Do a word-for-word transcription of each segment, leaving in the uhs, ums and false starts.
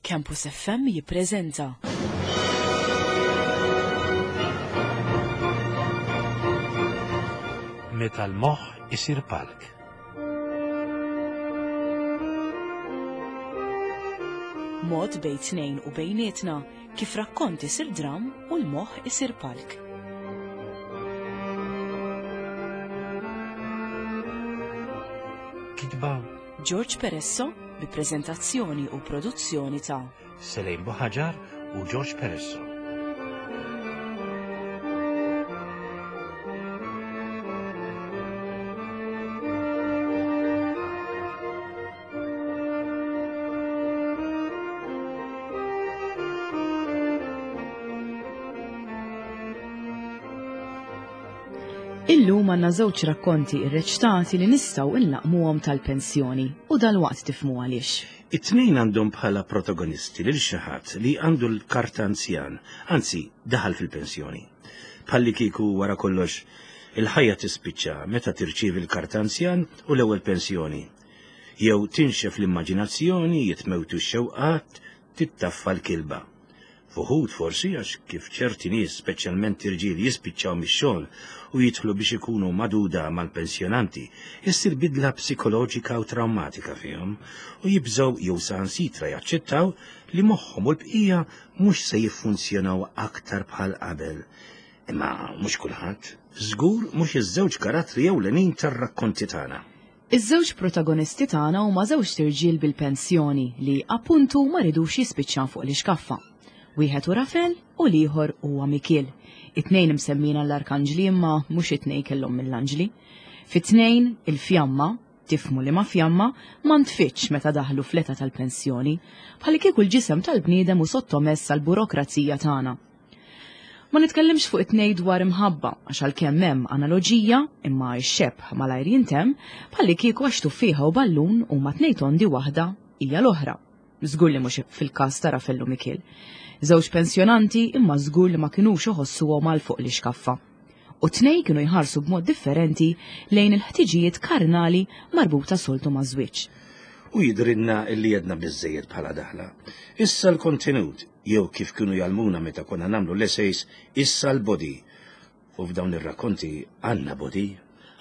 Campus F M jippreżenta Meta l-moħħ isir palk. Mod bejn tnejn u bejnietna kif rakkont isir dram u l-moħħ isir palk. Kitba George Peresso bi preżentazzjoni u produzzjoni ta' Selejn Buħaġar u George Peresso. Illum għandna żewġ rakkonti irreċtati li nistgħu nlaqmuhom tal-pensjoni u dalwaqt tifhmu għaliex. It-tnejn għandhom bħala protagonisti lil xi ħadd li għandu l-karta anzjan, anzi daħal fil-pensjoni. Bħalli kieku wara kollox il-ħajja tispiċċa meta tirċievi l-karta anzjan u l-ewwel pensjoni. Jew tinxef l-immaġinazzjoni, jitmewtu x-xewqat, tittaffa l-kilba. Fuħud forsi għax kif ċerti nies, speċjalment irġiel, jispiċċaw mix-xogħol u jidħlu biex ikunu maduda mal-pensjonanti, issir bidla psikoloġika u traumatika fihom u jibżgħu jew saħansitra jaċċettaw li moħħhom u l-bqija mhux se jiffunzjonaw aktar bħal qabel. Imma mhux kulħadd, żgur mhux iż-żewġ karattri ewlenin tar-rakkonti tagħna. Iż-żewġ protagonisti tagħna huma żewġ tirġiel bil-pensjoni li appuntu ma ridux jispiċċaw fuq l-ixkaffa. Wieħed hu Rafel u l-ieħor huwa Mikiel. It-tnejn imsemmina l-arkanġli imma mhux it-tnejn kellhom mill-anġli. Fit-tnejn il-fjamma, tifhmu li ma fjamma, ma ntfitx meta daħlu fl-età tal-pensjoni, bħalli kieku l-ġisem tal-bniedem u sottomess għall-burokrazija tagħna. Ma nitkellimx fuq it-tnejn dwar imħabba, għax għalkemm hemm analoġija, imma x-xebh malajr jintemm, bħalli kieku għax tuffieħa u ballun huma tnejn tondi waħda hija l-oħra. Żgur li mhux fil-każ ta' Rafel u Mikiel. Żewġ pensjonanti imma żgur li ma kinux iħossuhom għal fuq l-ixkaffa. U tnejn kienu jħarsu b'mod differenti lejn il-ħtiġijiet karnali marbuta soltu ma' żwieġ. U jidrinna illi jedna biżżejjed bħala daħla. Issa l-kontenut, jew kif kienu jgħallmuna meta konna nagħmlu l-essays, issa l-body. U f'dawn ir-rakkonti għandna body,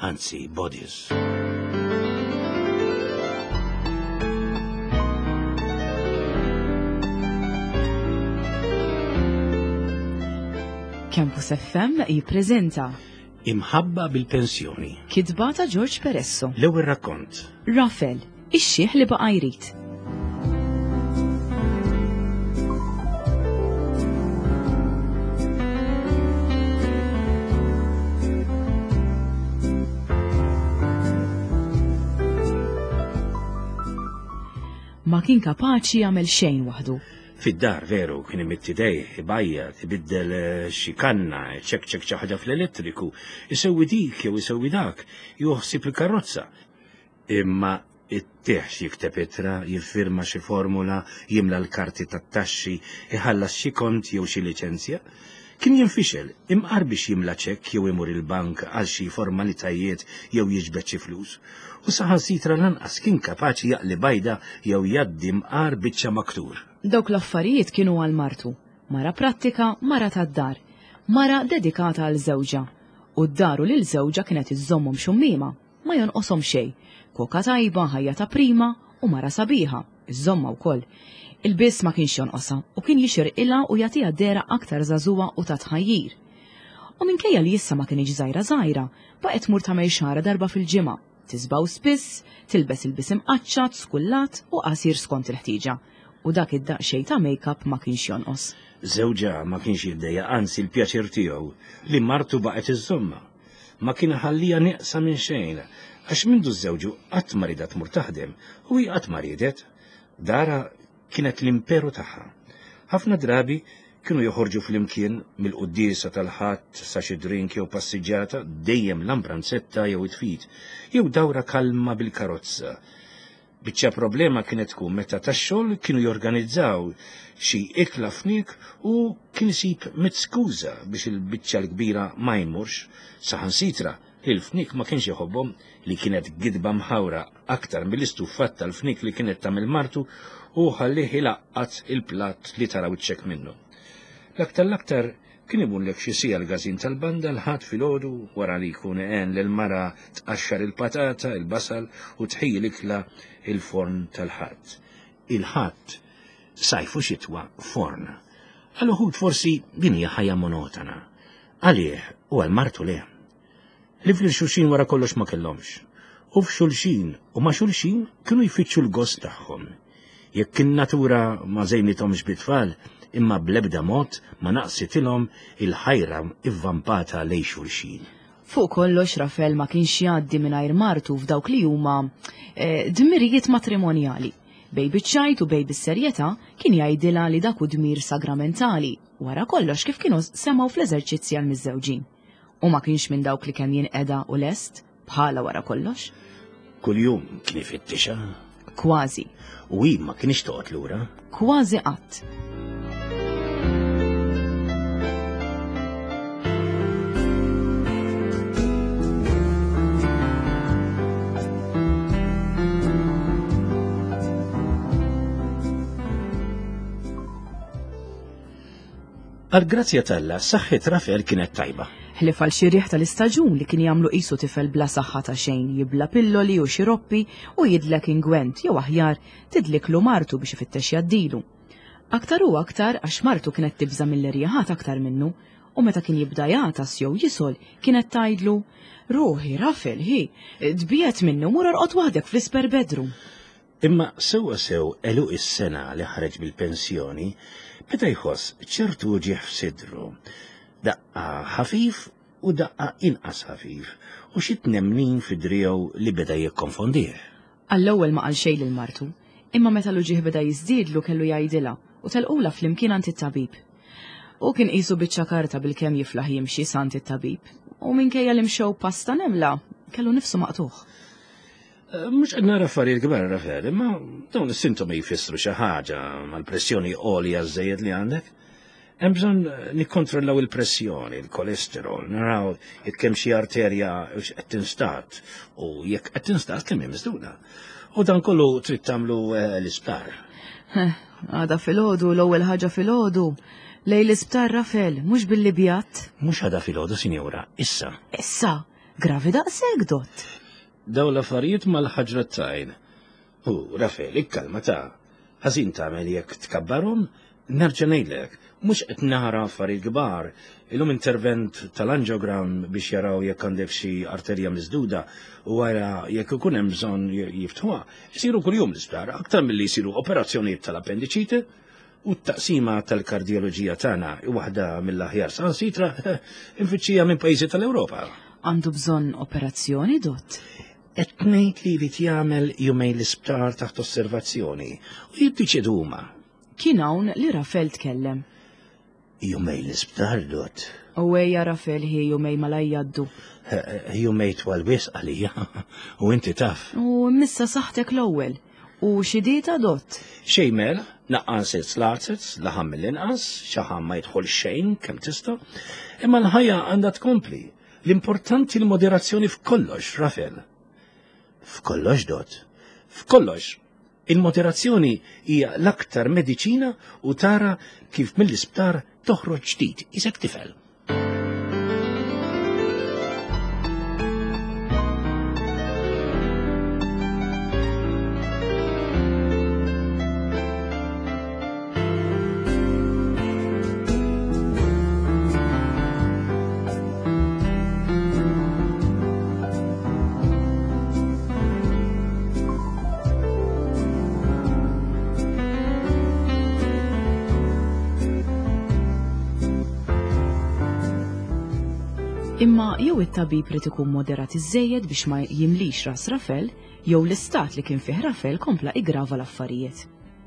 anzi bodies. Campus F M jippreżenta Imħabba bil-pensjoni. Kitba ta' George Peresso. L-ewwel rakkont. Rafel, ix-xiħ li baqa' jrid. Ma kien kapaċi jagħmel xejn waħdu. Fid-dar veru kien imitti idejh, ibajjat, ibiddel, eh, xi kanna, ċek ċek xi ħaġa fl-elettriku, isewwi dik jew isewwi dak, joħsib il-karozza. Imma ittieħx jikteb ittra, jiffirma xi formula, jimla l-karti tat-taxxi, iħallas xi kont jew xi liċenzja. Kien jinfixel, imqar biex jimla ċekk jew imur il-bank għal xi formalitajiet jew jiġbed xi flus. U saħansitra lanqas kien kapaċi jaqli bajda jew jgħaddi mqar biċċa maktur. Dawk l-affarijiet kienu għal martu, mara prattika, mara tad-dar, mara dedikata għal żewġha. U d-daru lil żewġha kienet iżżommhom xummiema, ma jonqoshom xejn. Koka tajba, ħajja ta' prima u mara sabiħa, iżżommha wkoll. Il-biss ma kienx jonqosha u kien jixirqilha u jagħtiha dehra aktar żagħżugħa u ta' tħajjir. U minkejja li issa ma kienx żgħira żgħira, baqgħet tmur tagħmel xagħarha darba fil-ġimgħa, tisbaw spiss, tilbes il-biss imqaċċat, skullat u qasir skont il-ħtieġa. U dak id-daqsxejn ta' make-up ma kienx jonqos. Żewġha ma kienx jiddejja, anzi l-pjaċir tiegħu li martu baqgħet iżżommha. Ma kien ħallija nieqsa minn xejn, għax mindu żewġu qatt ma rieda tmur taħdem u hi qatt ma riedet. Dara kienet l-imperu tagħha. Ħafna drabi kienu joħorġu flimkien mill-quddiesa tal-ħadd sa xi drink jew passiġġata, dejjem l-ambranzetta jew it-tfit, jew dawra kalma bil-karozza. Biċċa problema kienet tkun meta tax-xogħol kienu jorganizzaw xi ikla fnik u kien isib mit-skuża biex il-biċċa l-kbira ma jmurx, saħansitra li l-fnik ma kienx iħobbhom, li kienet gidba mħawra aktar mill-istuffat tal-fnik li kienet tagħmel martu u ħallih ilaqqat il-platt li tara wiċċek minnu. L-aktar l-aktar kien imurlek xi siegħa l-każin tal-banda l-Ħadd filgħodu wara li jkun għen lil mara tqaxxar il-patata, il-basal u tħejji l-ikla il-forn tal-Ħadd. Il-Ħadd sajf u xitwa forn. Għal uħud forsi din hija ħajja monotona. Għalih u għal martu le. Li fil-xulxin wara kollox ma kellhomx. U f'xulxin u ma' xulxin kienu jfittxu l-gost tagħhom. Jekk in-natura ma żejnithomx bit-tfal, imma bl-ebda mod ma naqsitilhom il-ħajra ivvampata lejn xulxin. Fuq kollox Rafel ma kienx jgħaddi mingħajr martu f'dawk li huma eh, dmirijiet matrimonjali. Bej biċ-ċajt u bej bis-serjetà kien jgħidilha li dak hu dmir sagramentali, wara kollox kif kienu semgħu fl-eżerċizzji għall-miżżewġin. U ma kienx minn dawk li kemm jinqeda u lest, bħala wara kollox. Kuljum kien ifittixha. Kważi. U hi ma kienx toqgħod lura. Kważi qatt. Għal-grazzja t'Alla, saħħet Rafel kienet tajba. Ħlief għal xi riħ tal-istaġun li kien jagħmlu qisu tifel bla saħħa ta' xejn, jibla pilloli u xiroppi u jidlek ingwent jew aħjar tidliklu martu biex ifittex jgħaddilu. Aktar u aktar għax martu kienet tibża' mill-irjaħat aktar minnu u meta kien jibda jagħtas jew jisol kienet tgħidlu "Ruħi Rafel, hi, tbiegħed minnu mur orqod waħdek fl-isper bedroom." Imma sewwa sew għeluq is-sena li ħareġ bil-pensjoni, beda jħoss ċertu uġigħ f'sidru, daqqa ħafif u daqqa inqas ħafif, u xi tnemnin fi driegħu li beda jikkonfondih. Għall-ewwel ma qal xejn lil martu, imma meta l-uġigħ beda jiżdiedlu kellu jgħidilha u telqula flimkien għand it-tabib. U kien qisu biċċa karta bilkemm jiflaħ jimxi s'għand it-tabib, u minkejja li mxew pasta nemla kellu nifsu maqtugħ. Mhux qed nara affarijiet kbar, Rafel, imma dawn is-sintomi jfissru xi ħaġa mal-pressjoni għolja żejjed li għandek. Hemm bżonn nikkontrollaw il-pressjoni, il-kolesterol, naraw jekk hemm xi arterja qed tinstat u jekk qed tinstat kemm hemm miżduda. U dan kollu trid tagħmlu l-isptar. Għada filgħodu, l-ewwel ħaġa filgħodu. Lejn l-isptar Rafel, mhux billi bjat. Mhux għada filgħodu, sinjura, issa. Issa, gravi daqshekk, dott. Daw l-affarijiet mal-ħaġra tajn. U, Rafel, ikkalma ta' ħażin tagħmel jekk tkabbarhom, nerġa' ngħidlek, mhux qed nara affarijiet kbar. Illum intervent tal-angiogram biex jaraw jekk għandek xi arterja miżduda u wara jekk ikun hemm bżonn jiftħuha. Isiru kuljum l-isptar, aktar milli jsiru operazzjonijiet tal-appendiċite u t-taqsima tal-kardjoloġija tagħna waħda mill-aħjar sansitra infittxija minn pajjiżi tal-Ewropa. Għandu bżonn operazzjoni, dott? Qed ngħid li jrid jagħmel jumejn l-isptar taħt osservazzjoni u jiddeċiedu huma. Kien hawn li Rafel tkellem. Jumejn l-isptar, dott. U ejja Rafel hi jumejn malaj jgħaddu. Jumejn twal wisq għalija u inti taf. U missa saħħtek l-ewwel. U xi dieta, dott? Xejn mela, naqqas il-slatzets, laħam mill-inqas, xaħam ma jidħol xejn kemm tista', imma l-ħajja għandha tkompli. L-importanti l-moderazzjoni f'kollox, Rafel. F'kollox, dott. F'kollox. Il-moderazzjoni hija l-aktar mediċina u tara kif mill-isptar toħroġ ġdid, isek tifel. Imma jew it-tabib rid ikun moderat iżżejjed biex ma jimlix ras Rafel, jew l-istat li kien fih Rafel kompla igrava l-affarijiet.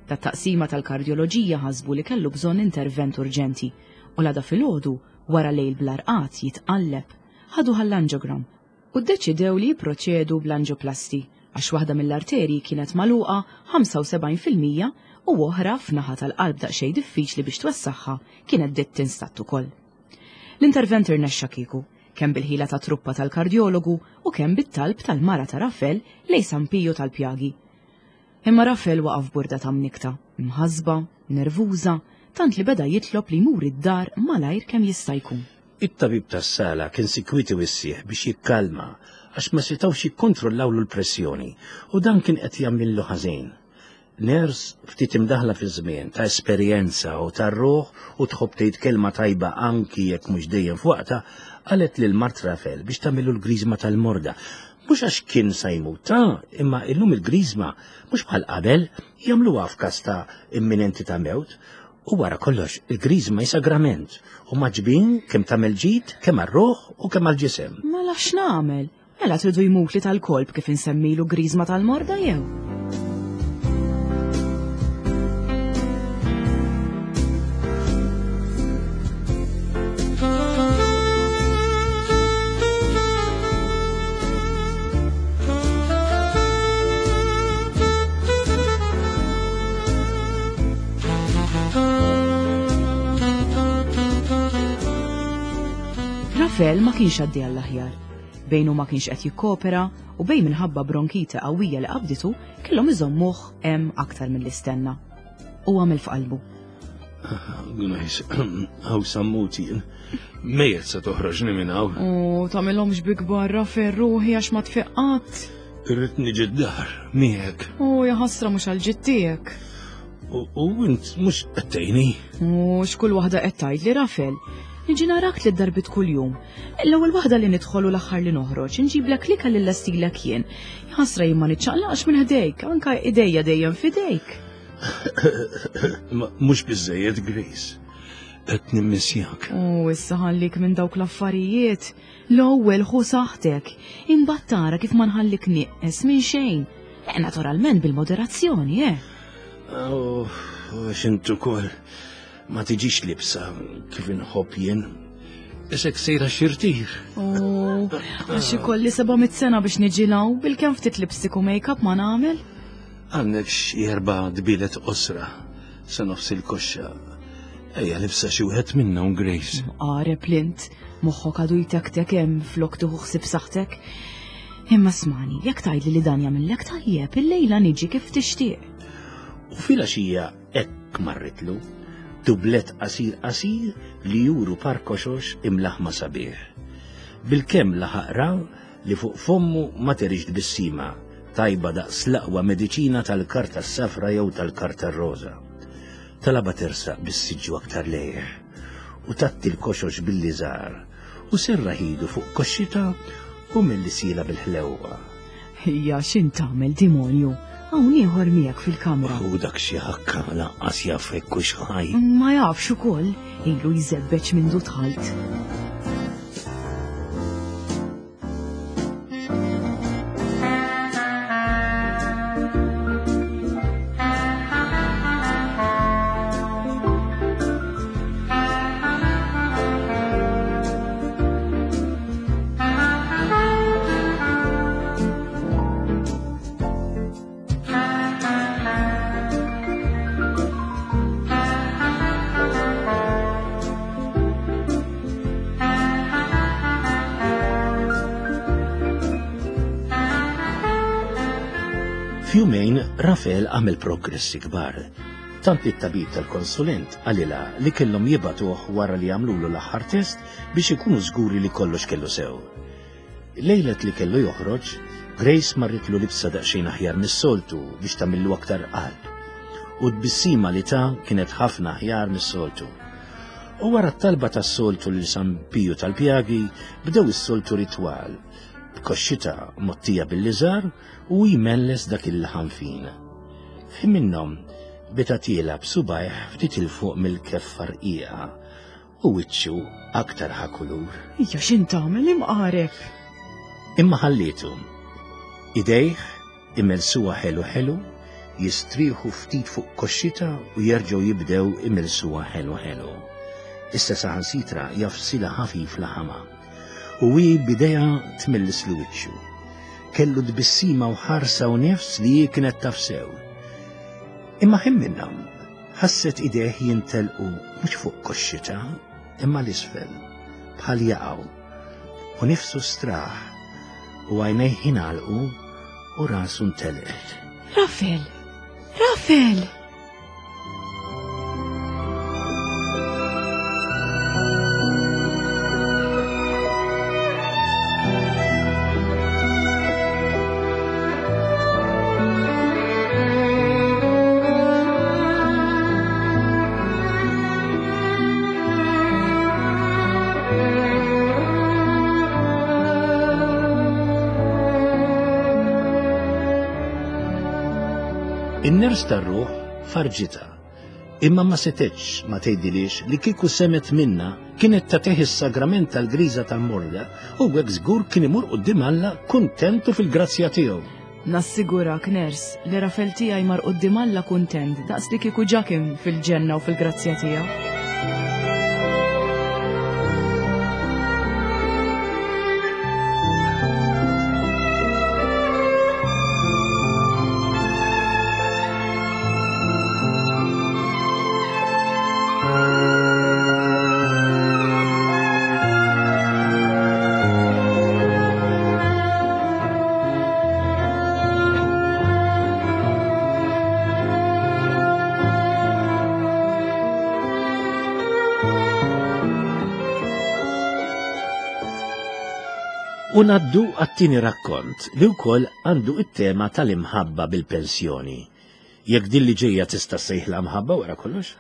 Tat-taqsima tal-kardjoloġija ħasbu li kellu bżonn intervent urġenti u l-għada filgħodu wara lejl bl-arqat jitqalleb, ħadu għall-angiogram u ddeċidew li jipproċedu bl-angioplasti għax waħda mill-arterji kienet magħluqa ħamsa u sebgħin fil-mija u oħra f'naħa tal-qalb daqsxejn diffiċli biex twessaħħa kienet bdiet tinstat ukoll. L-intervent irnexxa kieku, kemm bil-ħila ta' truppa tal-kardjologu u kemm bit-talb tal-mara ta' Rafel lejn San Piju tal-Pjagi. Imma Rafel waqaf burda ta' mnikta, mħasba, nervuża, tant li beda jitlob li jmur id-dar malajr kemm jista' jkun. It-tabib tas-sala kien sikwiti wissieħ biex jikkalma għax ma setgħux jikkontrollawlu l-pressjoni u dan kien qed jagħmillu ħażin. Ners ftit imdaħla fi żmien ta' esperjenza u ta' ruħ u tħobb tgħid kelma tajba anki jekk mhux dejjem f'waqta, qalet lil Mart Rafel biex tagħmillu l-griżma tal-morda. Mhux għax kien sa jmut, ta' imma illum il-griżma mhux bħal qabel jagħmluha f'każ ta' imminenti ta' mewt. U wara kollox, il-griżma hi sagrament u maġbin kemm tagħmel ġid, kemm għar-ruħ u kemm għall-ġisem. Mela x'nagħmel? Mela tridu jmutli tal-kolb kif insemmilu griżma tal-morda jew? Rafel ma kienx għaddi għall-aħjar. Bejnu ma kienx qed jikkopera u bejn minħabba bronkite qawwija li qabditu kellhom iżommuh hemm aktar mill-istenna. U għamel f'qalbu. Gnajs, hawn sammuti, mejjet se toħroġni minn hawn. U tagħmilhomx bi kbar Rafel ruħi għax ma tfiqqat. Irrid niġi d-dar miegħek. U jaħasra mhux għal-ġid tiegħek. U int mhux qed tgħinni. U x'kull waħda qed tgħidli Rafel. Niġi narak tliet darbiet kuljum. L-ewwel waħda li nidħol u l-aħħar li noħroġ, inġiblek l-ikel li lestilek jien. Ħasra jien ma niċċaqlaqx minn ħdejk, anka idejja dejjem f'idejk. Mhux biżejjed Grace. Qed nimmisjak. U issa ħallik minn dawk l-affarijiet. L-ewwel ħu saħtek. Imbagħad tara kif ma nħallik nieqes minn xejn. Eh, naturalment bil-moderazzjoni, eh. Oh, x'int ukoll. Ma tiġix libsa kif inħobb jien. Isek sejra xirtir. Oh, għax ikolli seba' mitt sena biex niġi law, bil-kemm ftit lipstick u make-up ma nagħmel. Għandek xi erba' dbilet qosra sa nofs il-koxxa. Ejja libsa xi wieħed minnhom Grace. Qareb lint, moħħok għadu jtektek hemm flok tieħu ħsieb saħtek. Imma smani, jekk tgħidli li dan jagħmillek tajjeb, illejla niġi kif tixtieq. U filgħaxija hekk marritlu. Dublet qasir qasir li juru par koxox imlaħma sabiħ. Bil-kemm laħaq ra li fuq fommu ma terix tbissima, tajba daqs l-aqwa mediċina tal-karta s-safra jew tal-karta r-roża. Talaba tersaq bis-siġġu aktar lejh u tatti l-koxox billi żgħar u serraħidu fuq koxxita u mill-sila bil-ħlewwa. Hija x'int tagħmel dimonju? Hawn ieħor miegħek fil-kamra. U dak xi ħakka lanqas jaf hekk hux ħaj. Ma jafx ukoll, ilu jżebbeġ minn du dħalt. F'jumejn Rafel għamel progressi kbar. Tant li t-tabib tal-konsulent qalilha li kellhom jibgħatuh wara li għamlulu l-aħħar test biex ikunu żguri li kollox kellu sew. Lejlet li kellu joħroġ, Grace marritlu libsa daqsxejn aħjar mis-soltu biex tagħmillu aktar qalb. U t-tbissima li ta' kienet ħafna aħjar mis-soltu. U wara t-talba tas-soltu lil San Piju tal-Pjagi bdew is-soltu ritwal, b'koxxita mottija bil-liżar u jmelles dak il-laħam fin. F'ħin minnhom beda tiela b'subajh ftit il fuq mill-keffa rqiqa u wiċċu aktar ħa kulur. Hija x'int tagħmel imqareb? Imma ħallietu. Idejh immelsuha ħelu ħelu, jistrieħu ftit fuq koxxita u jerġgħu jibdew immelsuha ħelu ħelu. Issa saħansitra jafsila ħafif laħama. U hi bidejha tmillislu wiċċu. Kellu tbissima u ħarsa u nifs li hi kienet taf sew. Imma ħin minnhom ħasset idejh jintelqu mhux fuq koxxita imma l-isfel, bħal jaqgħu. U nifsu straħ u għajnejh jingħalqu u rasu ntelqet. Rafel! Rafel! In-ners tar-ruħ farġitha, imma ma setgħetx ma tgħidilix li kieku semet minna kienet tagħtih is-sagrament tal-griża tal-morda u hekk żgur kien imur quddiem Alla kuntent u fil-grazzja tiegħu. Nassigurak, ners, li Rafel tiegħi mar quddiem Alla kuntent daqs li kieku ġa kien fil-ġenna u fil-grazzja tiegħu. U ngħaddu għat-tieni rakkont li wkoll għandu it-tema tal-imħabba bil-pensjoni. Jekk din li ġejja tista' ssejħla mħabba wara kollox.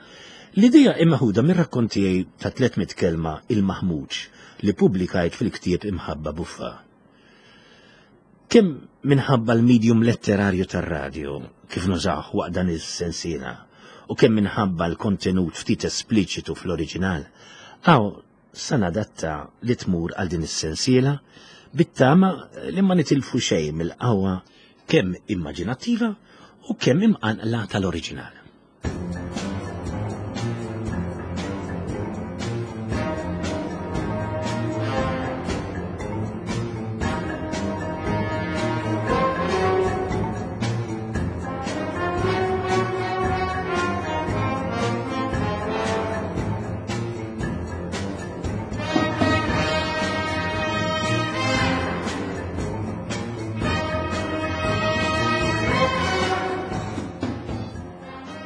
L-idea immaħuda mir-rakkont tiegħi ta' tliet mitt kelma Il-Maħmuġ li pubblikajt fil-ktieb Imħabba Buffa. Kemm minħabba l-medium letterarju tar-radju kif nużawh waqt dan is-sensiela u kemm minħabba l-kontenut ftit espliċitu fl-oriġinal, hawn sa nadatta li tmur għal din is-sensiela bit-tama li ma nitilfu xejn mill-qawwa kemm immaġinattiva u kemm imqanqla tal-oriġinal.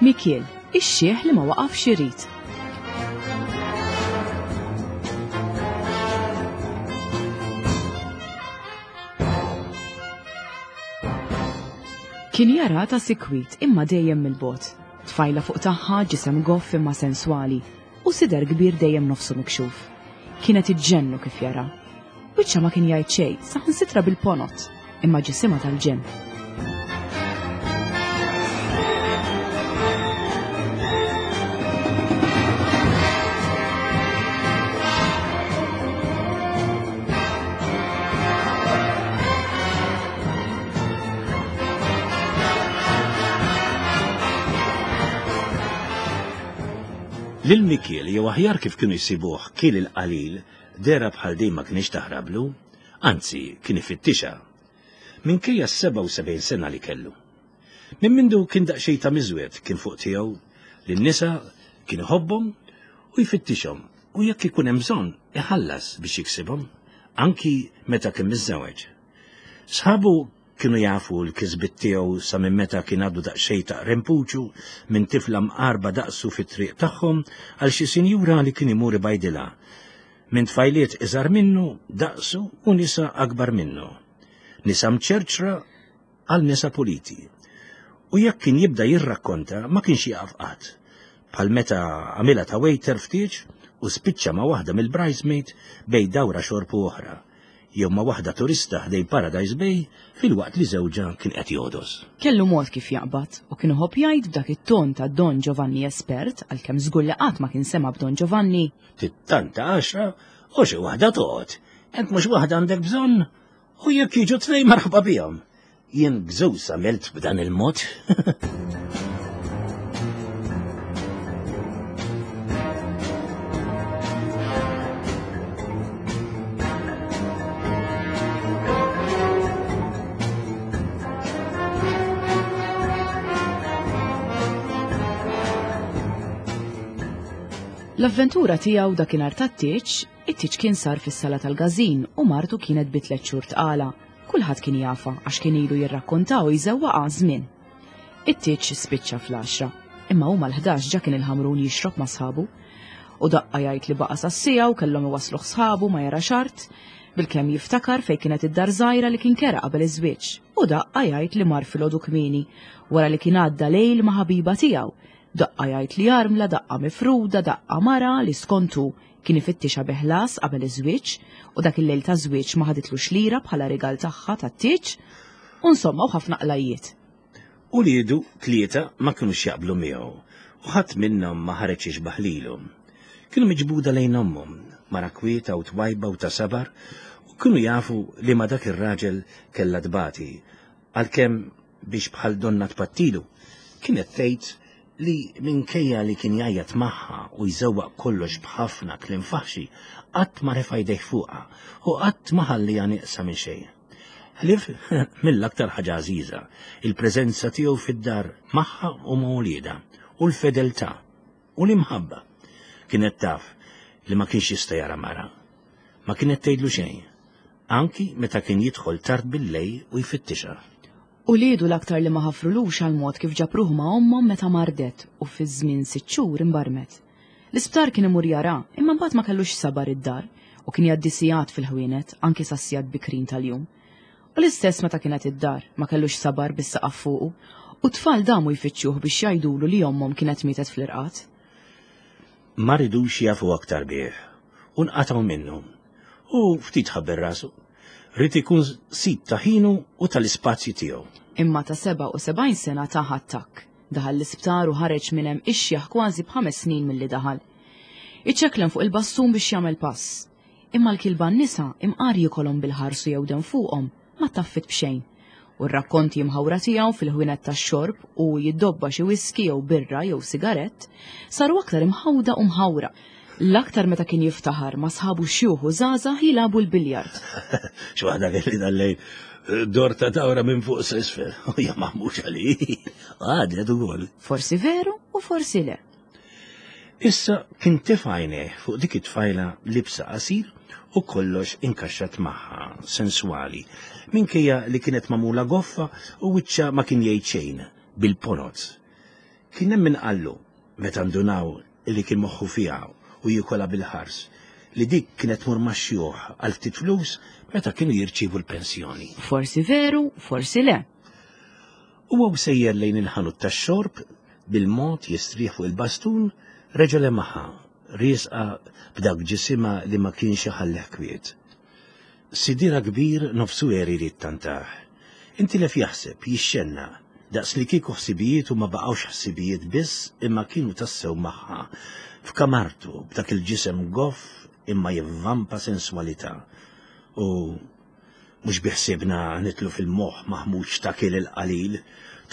Mikiel, ix-xiħ li ma waqafx irid. Kien jara ta' sikwit imma dejjem mill-bogħod. Tfajla fuq tagħha ġisem goff imma senswali u sider kbir dejjem nofsu mikxuf. Kienet iġġennu kif jara. Wiċċha ma kien jgħid xejn, saħansitra bil-ponot, imma ġisimha tal-ġenn. Lil Mikiel jew aħjar kif kienu jsibuh kiel il-qalil dera bħal din ma kienx taħrablu, anzi kien ifittixha. Minkejja s-sebgħa u sebgħin sena li kellu. Minn mindu kien daqsxejn ta' miżwed kien fuq tiegħu li n-nisa kien iħobbhom u jfittixhom u jekk ikun hemm bżonn iħallas biex jiksibhom, anki meta kien miżżewweġ. Sħabu kienu jafu l-kisbit tiegħu sa minn meta kien għadu daqsxejn ta' rempuċu minn tifla mqarba daqsu fit-triq tagħhom għal xi sinjura li kien imur ibajdilha. Minn tfajliet iżgħar minnu daqsu u nisa akbar minnu. Nisa mċerċra għal nisa puliti. U jekk kien jibda jirrakkonta ma kienx jaqaf qatt. Bħal meta għamilha ta' waiter ftit u spiċċa ma' waħda mill-bridesmaid bej dawra xorbu oħra, jew ma' waħda turista ħdejn Paradise Bay fil-waqt li żewġha kien qed jodos. Kellu mod kif jaqbad u kien iħobb jgħid b'dak it-ton ta' Don Giovanni espert għalkemm żgur li qatt ma kien sema' b'Don Giovanni. Tittanta għaxra u xi waħda toqgħod. Ent mhux waħda għandek bżonn u jekk jiġu tnejn marħba bihom. Jien gżuż għamilt b'dan il-mod. L-avventura tiegħu dakinhar tat-tieġ, it-tieġ kien sar fis-sala tal-gażin u martu kienet bi tliet xhur tqala. Kulħadd kien jafa għax kien ilu jirrakkontaw jżewwaqa żmien. It-tieġ spiċċa fl-għaxra, imma huma l-ħdax ġa kien il-Ħamrun jixrob ma' sħabu. U daqqa jgħid li baqa' sas-siegħa u kellhom iwassluh sħabu ma jara xart, bilkemm jiftakar fejn kienet id-dar żgħira li kien kera qabel iż-żwieġ. U daqqa jgħid li mar filgħodu kmieni wara li kien għadda lejl ma' ħabiba tiegħu. Daqqa jgħid li armla, daqqa mifruda, daqqa mara li skontu kien ifittixha bi ħlas qabel iż-żwieġ u dak il-lejl ta' żwieġ ma ħaditlux lira bħala rigal tagħha tat-tieġ. U insomma u ħafna qlajjiet. Uliedu tlieta ma kinux jaqblu miegħu u ħadd minnhom ma ħareġ jixbaħ lilu. Kienu miġbuda lejn ommhom, mara kwieta u twajba u ta' sabar, u kienu jafu li ma dak ir-raġel kellha tbati, għalkemm biex bħal donna tpattilu, kienet tgħid li minkejja li kien jgħajjat magħha u jżewwaq kollox b'ħafna kliem faħxi, qatt ma refa' jdejh fuqha u qatt ma ħalliha nieqsa minn xejn. Ħlief mill-aktar ħaġa għażiża, il-preżenza tiegħu fid-dar magħha u ma' uliedha, u l-fedeltà u l-imħabba. Kienet taf li ma kienx jista' jara mara. Ma kienet tgħidlu xejn, anki meta kien jidħol tard bil-lejl u jfittixha. Uliedu l-aktar li ma ħafrulux għal mod kif ġabruh ma' ommhom meta mardet u fi żmien sitt xhur imbarmet. L-isptar kien imur jara, imma mbagħad ma kellux sabar id-dar u kien jgħaddi sigħat fil-ħwienet anki sas-sigħat bikrin tal-jum. U l-istess meta kienet id-dar, ma kellux sabar bis-saqaf fuqu u t-tfal damu jfittxuh biex jgħidulu li ommhom kienet mietet fl-irqad. Ma ridux jafu aktar bih u nqatgħu minnu. U ftit ħabber rasu. Ried ikun sid ta' ħinu u tal-ispazju tiegħu. Imma ta' sebgħa u sebgħin sena ta' attakk. Daħal l-isptar u ħareġ minn hemm ixjaħ kważi b'ħames snin milli daħal. Iċċeklem fuq il-bastun biex jagħmel pass. Imma l-kilba n-nisa imqar jikolhom bil-ħarsu jew dem fuqhom ma taffit b'xejn. U r-rakkonti mħawra tiegħu fil-ħwienet tax-xorb u jiddobba xi whisky jew birra jew sigarett saru aktar imħawda u mħawra. L-aktar meta kien jiftaħar ma' sħabu xjuħ u żgħażagħ jilagħbu l-biljard. Xi waħda kelli dal-lejl dorta dawra minn fuq s'isfel. U hija maħmuġa li għadet ukoll. Forsi veru u forsi le. Issa kien tefa' għajnejh fuq dik it-tfajla libsa qasir u kollox inkaxxat magħha, senswali, minkejja li kienet magħmula goffa u wiċċha ma kien jgħid xejn bil-ponot. Kien hemm min qallu, meta ndunaw li kien moħħu fiha u jikola bil-ħars, li dik kienet tmur max-xjuħ għal ftit flus meta kienu jirċievu l-pensjoni. Forsi veru, forsi le. Huwa sejjer lejn il-ħanut tax-xorb bil-mod jistrieħ fuq il-bastun, reġa' lemaħha, riesqa b'dak ġisimha li ma kienx iħallih kwiet. Sidira kbir nofsu għeri li tantah. Intilef jaħseb, jixxenna, daqs li kieku ħsibijietu ma baqgħux ħsibijiet biss imma kienu tassew magħha. F'kamartu b'dak il-ġisem goff imma jivvampa senswalità. U mhux biħsibna nitlu fil-moħħ maħmuġ ta' kiel il-qalil,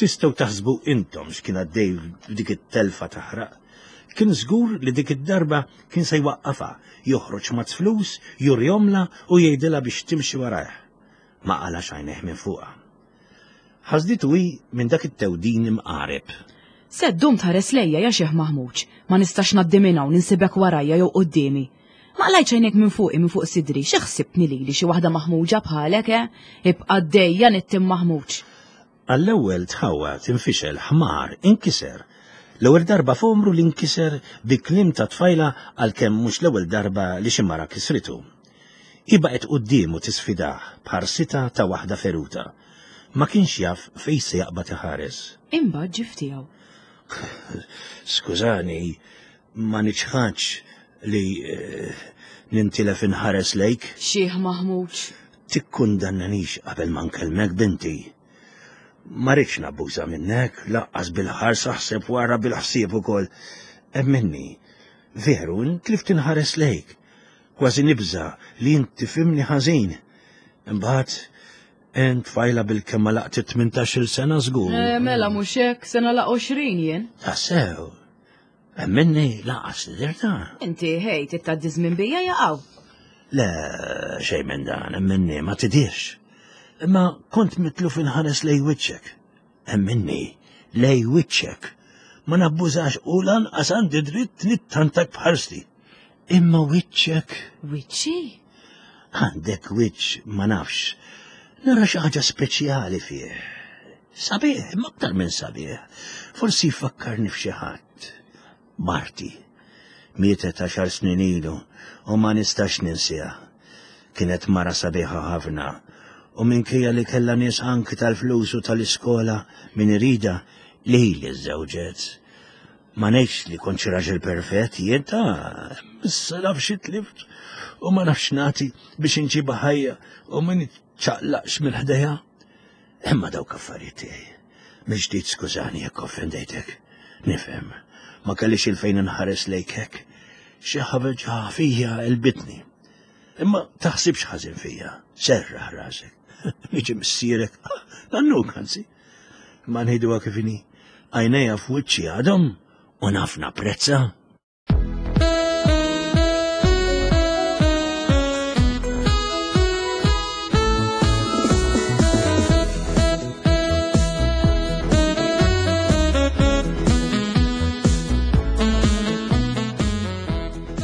tistgħu taħsbu intom x'kien għaddej f'dik it-telfa taħraq. Kien żgur li dik id-darba kien se jwaqqafha, joħroġ mazz flus, jurjomla u jgħidilha biex timxi warajh. Ma qalax għajnejh minn fuqha. Ħasditu hi minn dak it-tewdin imqareb. Se ddum tħares lejja ja xieħ maħmuġ, ma nistax ngħaddi minn hawn ninsibek warajja jew quddiemi. Ma qlajtx għajnejk minn fuqi minn fuq sidri, xi ħsibtni lili xi waħda maħmuġa bħalek, eh? Ibqa' għaddejja nittim maħmuġ. Għall-ewwel tħawwad, infixel, ħmar, inkiser. L-ewwel darba f'għomru li nkiser bi kliem ta' tfajla għalkemm mhux l-ewwel darba li xi mara kisritu. Hi baqgħet quddiemu tisfidah b'ħarsita ta' waħda feruta. Ma kienx jaf fejn se jaqbad iħares. Imbagħad ġie f'tiegħu. Skużani, ma niċħadx li, eh, nintilef inħares lejk. Xieħ maħmuġ. Tikkundannanix qabel ma nkellmek binti. Ma rridx nabbuża minnek, laqqas bil-ħars aħseb wara bil-ħsieb ukoll. Emminni, veru, ntlift inħares lejk. Kważi nibża li inti fimni ħażin. Imbagħad int tfajla bil-kemm ma laqtet tmintax-il sena żgur. Eh, mela mhux hekk, sena laq għoxrin jien. Tassew. Emminni laqas l-dirta. Inti ħej tittaddi żmien bija jaqgħu. Le, xejn minn dan, emminni ma tidirx. Imma kont mitluf inħares lej wiċċek. Emminni, lej wiċċek. Ma nabbużax u lanqas għandi dritt nittantak b'ħarsti. Imma wiċċek. Wiċċi? Għandek wiċċ ma nafx. Nara xi ħaġa speċjali fih. Sabiħ, imma aktar minn sabiħ. Forsi jfakkarni f'xi ħadd. Marti. Mietet għaxar snin ilu u ma nistax ninsiha. Kienet mara sabiħa ħafna u minkejja li kellha nies anki tal-flus u tal-iskola min iridha lili żżewġet. Ma ngħidx li kont xi raġel perfett, jien ta' issa naf xi tlift u ma nafx nagħti biex inġibha ħajja u ma niċċaqlaqx minn ħdejha. Imma dawk affarijiet tiegħi. Mill-ġdid skużani jekk offendejtek. Nifhem, ma kellix il-fejn inħares lejk hekk. Xi ħaġa fija għelbitni. Imma taħsibx ħażin fija, serraħ rasek. Niġi missierek, nannuk anzi. Ma ngħiduha kif inhi. Għajnejja f'wiċċi għadhom u naf napprezza.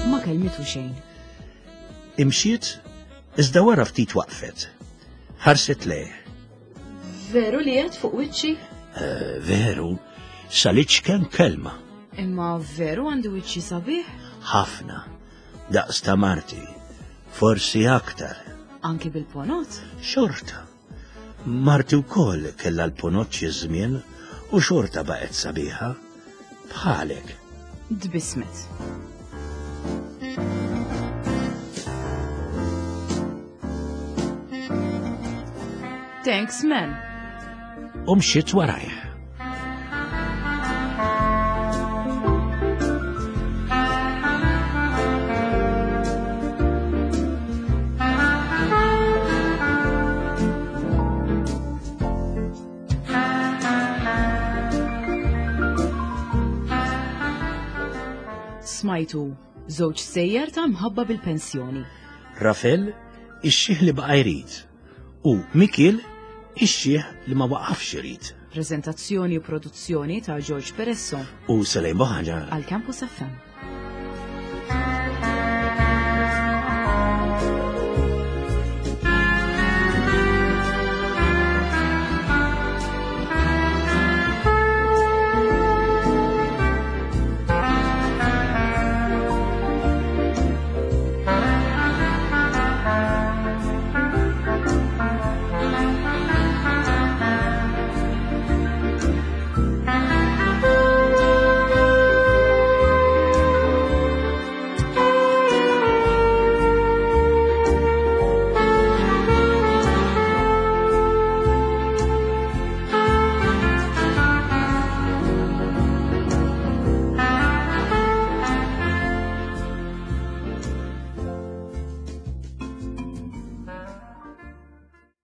Ma kelmitu xejn. Imxiet, iżda wara ftit waqfet. Ħarset lejh. Veru li qed fuq wiċċi? Eh, veru, sal-iċken kelma. Imma veru għandi wiċċi sabiħ? Ħafna. Daqs ta' Marti. Forsi aktar. Anki bil-ponot? Xorta. Marti wkoll kellha l-ponot xi żmien u xorta baqgħet sabiħa. Bħalek. Tbissmet. Thanks, man. U mxiet warajh. Smajtu żewġ sejjer ta' mħabba bil-pensjoni. Rafel, ix-xiħ li baqa' jrid. U Mikiel, ix-xiħ li ma waqafx irid. Prezentazzjoni u produzzjoni ta' George Peresso U Selejn Boħaġa għal Campus F M.